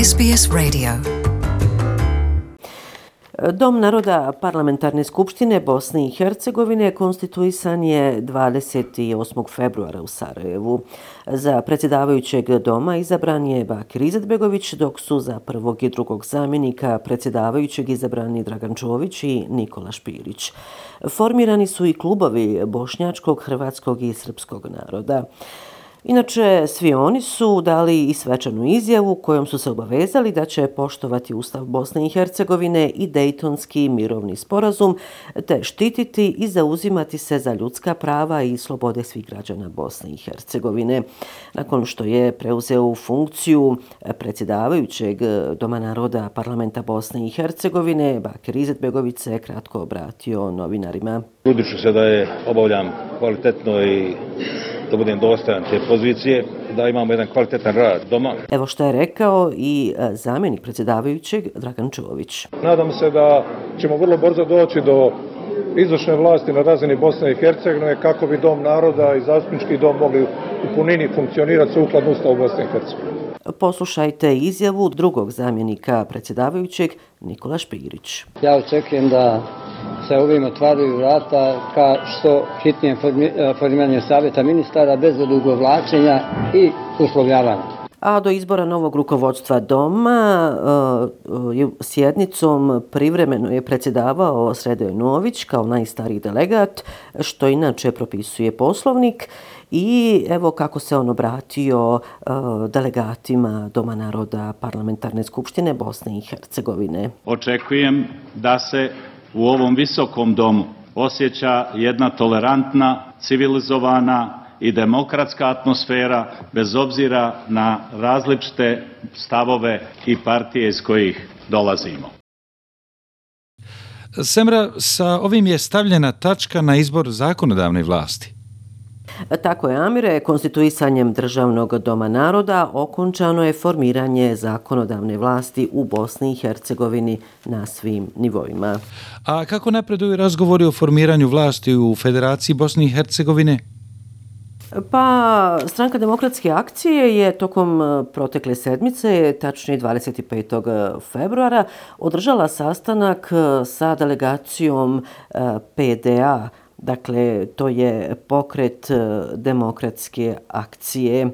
SBS Radio. Dom naroda Parlamentarne skupštine Bosne i Hercegovine konstituisan je 28. februara u Sarajevu. Za predsjedavajućeg doma izabran je Bakir Izetbegović, dok su za prvog i drugog zamjenika predsjedavajućeg izabrani Dragan Čović i Nikola Špirić. Formirani su i klubovi bošnjačkog, hrvatskog i srpskog naroda. Inače, svi oni su dali i svečanu izjavu kojom su se obavezali da će poštovati Ustav Bosne i Hercegovine i Dejtonski mirovni sporazum, te štititi i zauzimati se za ljudska prava i slobode svih građana Bosne i Hercegovine. Nakon što je preuzeo funkciju predsjedavajućeg Doma naroda Parlamenta Bosne i Hercegovine, Bakir Izetbegović se kratko obratio novinarima. Trudit ću se da je obavljam kvalitetno i da budem dostojan te pozicije, da imamo jedan kvalitetan rad doma. Evo što je rekao i zamjenik predsjedavajućeg Dragan Čović. Nadam se da ćemo vrlo brzo doći do izvršne vlasti na razini Bosne i Hercegovine kako bi Dom naroda i zastupnički dom mogli u punini funkcionirati sukladno Ustavu Bosne i Hercegovine. Poslušajte izjavu drugog zamjenika predsjedavajućeg Nikola Špirić. Ja očekujem da se ovim otvaraju vrata ka što hitnijem formiranju savjeta ministara bez odugovlačenja i uslovljavanja. A do izbora novog rukovodstva doma sjednicom privremeno je predsjedavao Sredoje Nović kao najstariji delegat, što inače propisuje Poslovnik. I evo kako se on obratio delegatima Doma naroda Parlamentarne skupštine Bosne i Hercegovine. Očekujem da se u ovom visokom domu osjeća jedna tolerantna, civilizovana i demokratska atmosfera bez obzira na različite stavove i partije iz kojih dolazimo. Semra, sa ovim je stavljena tačka na izbor zakonodavne vlasti. Tako je, Amire, konstituisanjem Državnog doma naroda okončano je formiranje zakonodavne vlasti u Bosni i Hercegovini na svim nivoima. A kako napreduju razgovori o formiranju vlasti u Federaciji Bosne i Hercegovine? Pa, Stranka demokratske akcije je tokom protekle sedmice, tačnije 25. februara, održala sastanak sa delegacijom PDA. Dakle, to je pokret demokratske akcije.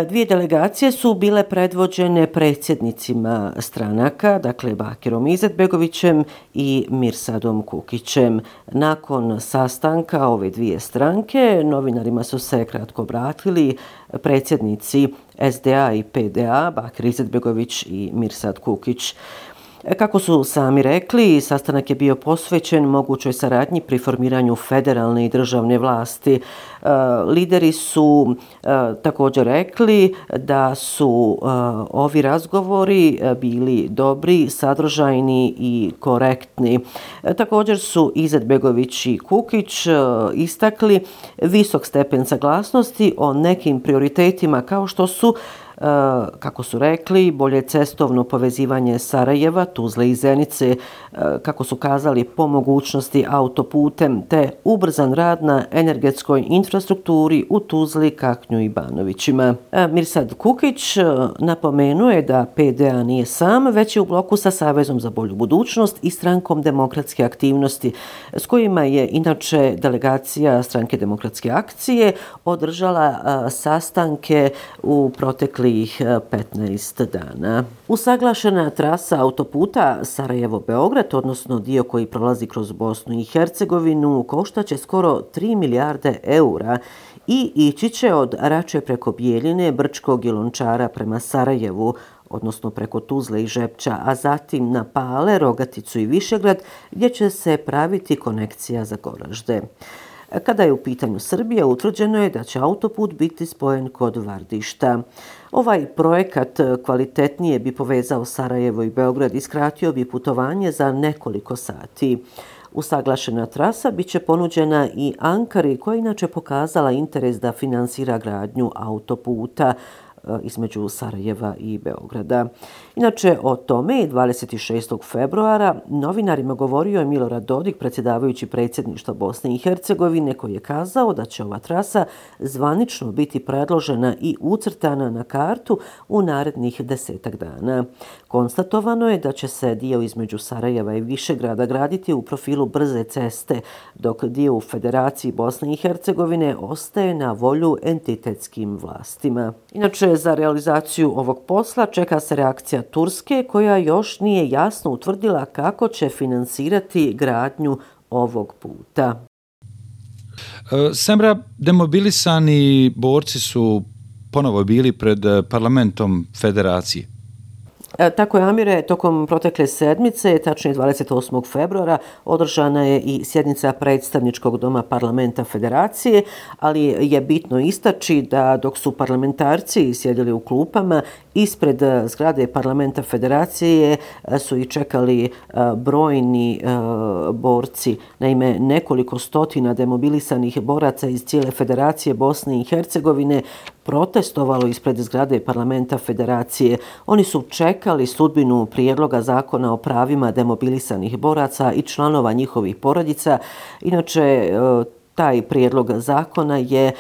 Dvije delegacije su bile predvođene predsjednicima stranaka, dakle Bakirom Izetbegovićem i Mirsadom Kukićem. Nakon sastanka ove dvije stranke, novinarima su se kratko obratili predsjednici SDA i PDA, Bakir Izetbegović i Mirsad Kukić. Kako su sami rekli, sastanak je bio posvećen mogućoj saradnji pri formiranju federalne i državne vlasti. Lideri su također rekli da su ovi razgovori bili dobri, sadržajni i korektni. Također su Izetbegović i Kukić istakli visok stepen saglasnosti o nekim prioritetima kao što su, kako su rekli, bolje cestovno povezivanje Sarajeva, Tuzle i Zenice, kako su kazali po mogućnosti autoputem, te ubrzan rad na energetskoj infrastrukturi u Tuzli, Kaknju i Banovićima. Mirsad Kukić napomenuo je da PDA nije sam, već je u bloku sa Savezom za bolju budućnost i Strankom demokratske aktivnosti, s kojima je inače delegacija Stranke demokratske akcije održala sastanke u proteklih 15 dana. Usaglašena trasa autoputa Sarajevo-Beograd, odnosno dio koji prolazi kroz Bosnu i Hercegovinu, koštaće skoro 3 milijarde eura i ići će od Rače preko Bijeljine, Brčkog i Lončara prema Sarajevu, odnosno preko Tuzle i Žepča, a zatim na Pale, Rogaticu i Višegrad, gdje će se praviti konekcija za Goražde. Kada je u pitanju Srbija, utvrđeno je da će autoput biti spojen kod Vardišta. Ovaj projekat kvalitetnije bi povezao Sarajevo i Beograd i skratio bi putovanje za nekoliko sati. Usaglašena trasa bit će ponuđena i Ankari, koja je inače pokazala interes da finansira gradnju autoputa. između Sarajeva i Beograda. Inače, o tome 26. februara novinarima govorio je Milorad Dodik, predsjedavajući predsjedništva Bosne i Hercegovine, koji je kazao da će ova trasa zvanično biti predložena i ucrtana na kartu u narednih 10 dana. Konstatovano je da će se dio između Sarajeva i Višegrada graditi u profilu brze ceste, dok dio u Federaciji Bosne i Hercegovine ostaje na volju entitetskim vlastima. Inače, za realizaciju ovog posla čeka se reakcija Turske, koja još nije jasno utvrdila kako će finansirati gradnju ovog puta. Semra, demobilisani borci su ponovo bili pred parlamentom Federacije. Tako je, Amire, tokom protekle sedmice, tačnije 28. februara, održana je i sjednica predstavničkog doma parlamenta Federacije, ali je bitno istaći da dok su parlamentarci sjedili u klupama, ispred zgrade parlamenta Federacije su i čekali brojni borci. Naime, nekoliko stotina demobilisanih boraca iz cijele Federacije Bosne i Hercegovine protestovalo ispred zgrade parlamenta Federacije. Oni su čekali sudbinu prijedloga zakona o pravima demobilisanih boraca i članova njihovih porodica. Inače, taj prijedlog zakona je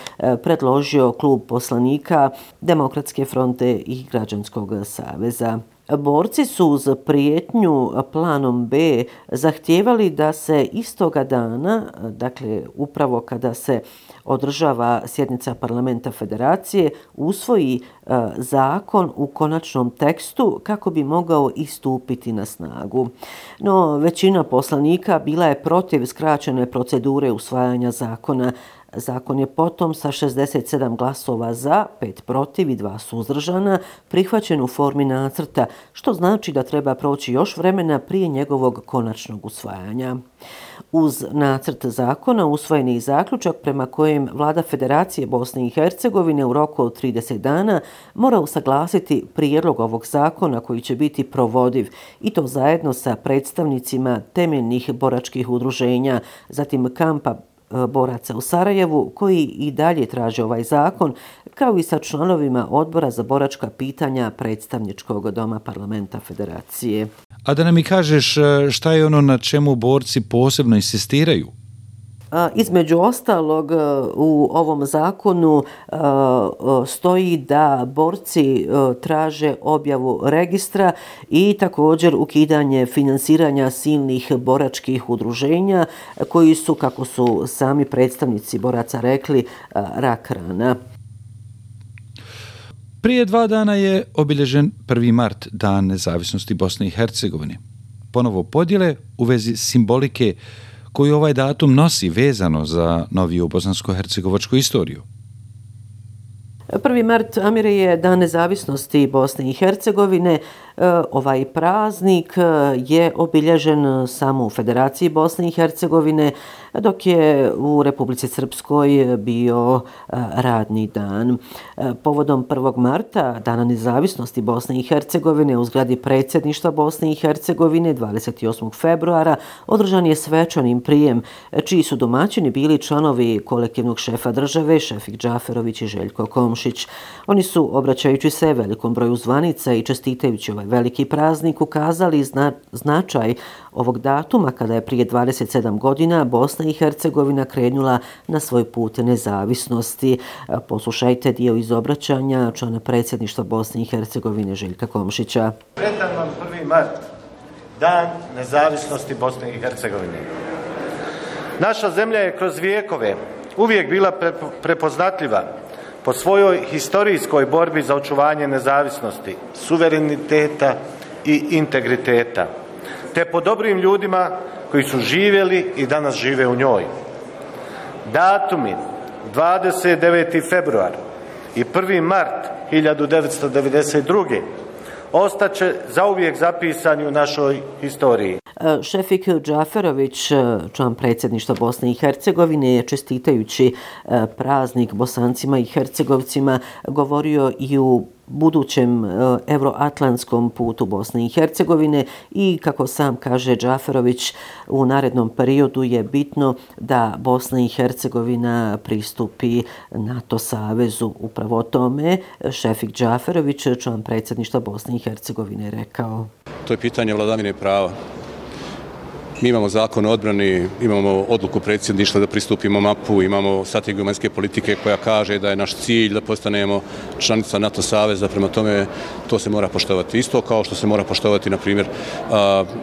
predložio klub poslanika Demokratske fronte i Građanskog saveza. Borci su uz prijetnju planom B zahtijevali da se istoga dana, dakle upravo kada se održava sjednica parlamenta Federacije, usvoji zakon u konačnom tekstu kako bi mogao i stupiti na snagu. No, većina poslanika bila je protiv skraćene procedure usvajanja zakona. Zakon je potom sa 67 glasova za, 5 protiv i 2 suzdržana prihvaćen u formi nacrta, što znači da treba proći još vremena prije njegovog konačnog usvajanja. Uz nacrt zakona usvojen je i zaključak prema kojem Vlada Federacije Bosne i Hercegovine u roku od 30 dana mora usaglasiti prijedlog ovog zakona koji će biti provodiv, i to zajedno sa predstavnicima temeljnih boračkih udruženja, zatim kampa boraca u Sarajevu, koji i dalje traže ovaj zakon, kao i sa članovima odbora za boračka pitanja predstavničkog doma parlamenta Federacije. A da nam i kažeš šta je ono na čemu borci posebno insistiraju? Između ostalog, u ovom zakonu stoji da borci traže objavu registra i također ukidanje finansiranja silnih boračkih udruženja koji su, kako su sami predstavnici boraca rekli, rak rana. Prije 2 dana je obilježen 1. mart, Dan nezavisnosti Bosne i Hercegovine. Ponovo podjele u vezi simbolike koju ovaj datum nosi vezano za noviju bosansko-hercegovačku istoriju. 1. mart, Amire, je Dan nezavisnosti Bosne i Hercegovine. Ovaj praznik je obilježen samo u Federaciji Bosne i Hercegovine, dok je u Republici Srpskoj bio radni dan. Povodom 1. marta, Dana nezavisnosti Bosne i Hercegovine, u zgradi predsjedništva Bosne i Hercegovine 28. februara održan je svečanim prijem, čiji su domaćini bili članovi kolektivnog šefa države Šefik Džaferović i Željko Komšić. Oni su, obraćajući se velikom broju zvanica i čestitajući ovaj veliki praznik, ukazali značaj ovog datuma kada je prije 27 godina Bosna i Hercegovina krenula na svoj put nezavisnosti. Poslušajte dio iz obraćanja člana predsjedništva Bosne i Hercegovine Željka Komšića. Sretan vam 1. mart, Dan nezavisnosti Bosne i Hercegovine. Naša zemlja je kroz vijekove uvijek bila prepoznatljiva po svojoj historijskoj borbi za očuvanje nezavisnosti, suvereniteta i integriteta, te po dobrim ljudima koji su živjeli i danas žive u njoj. Datumi 29. februar i 1. mart 1992. ostaće zauvijek zapisani u našoj historiji. Šefik Džaferović, član predsjedništva Bosne i Hercegovine, je čestitajući praznik Bosancima i Hercegovcima govorio i u budućem euroatlantskom putu Bosne i Hercegovine i, kako sam kaže Džaferović, u narednom periodu je bitno da Bosna i Hercegovina pristupi NATO savezu. Upravo o tome Šefik Džaferović, član predsjedništva Bosne i Hercegovine, rekao. To je pitanje vladavine prava. Mi imamo zakon o odbrani, imamo odluku predsjedništva da pristupimo MAP-u, imamo strategiju vanjske politike koja kaže da je naš cilj da postanemo članica NATO saveza, prema tome to se mora poštovati. Isto kao što se mora poštovati, na primjer,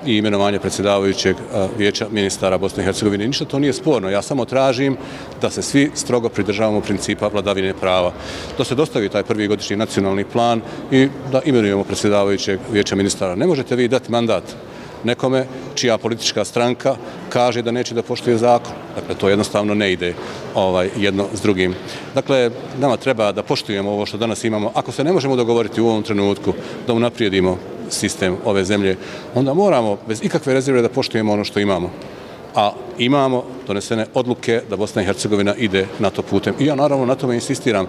i imenovanje predsjedavajućeg vijeća ministara Bosne i Hercegovine. Ništa to nije sporno. Ja samo tražim da se svi strogo pridržavamo principa vladavine prava. Da se dostavi taj prvi godišnji nacionalni plan i da imenujemo predsjedavajućeg vijeća ministara. Ne možete vi dati mandat nekome čija politička stranka kaže da neće da poštuje zakon. Dakle, to jednostavno ne ide jedno s drugim. Dakle, nama treba da poštujemo ovo što danas imamo. Ako se ne možemo dogovoriti u ovom trenutku da unaprijedimo sistem ove zemlje, onda moramo bez ikakve rezerve da poštujemo ono što imamo. A imamo donesene odluke da Bosna i Hercegovina ide NATO putem. I ja naravno na tome insistiram.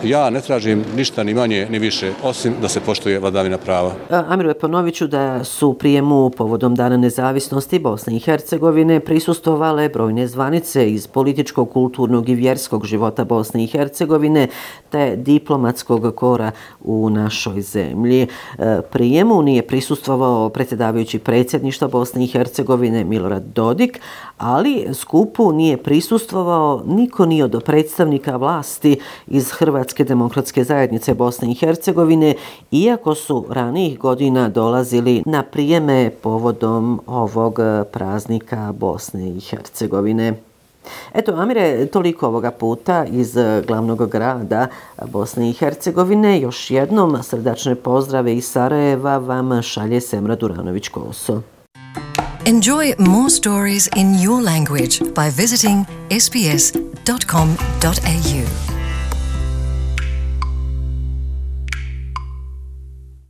Ja ne tražim ništa ni manje ni više, osim da se poštuje vladavina prava. Amiru, ponovit ću da su prijemu povodom Dana nezavisnosti Bosne i Hercegovine prisustvovale brojne zvanice iz političkog, kulturnog i vjerskog života Bosne i Hercegovine te diplomatskog kora u našoj zemlji. Prijemu nije prisustvovao predsjedavajući predsjedništva Bosne i Hercegovine Milorad Dodik, ali skupu nije prisustvovao niko ni od predstavnika vlasti iz Hrvatske demokratske zajednice Bosne i Hercegovine, iako su ranijih godina dolazili na prijeme povodom ovog praznika Bosne i Hercegovine. Eto, Amire, toliko ovoga puta iz glavnog grada Bosne i Hercegovine. Još jednom srdačne pozdrave iz Sarajeva vam šalje Semra Duranović-Koso. Enjoy more stories in your language by visiting sbs.com.au.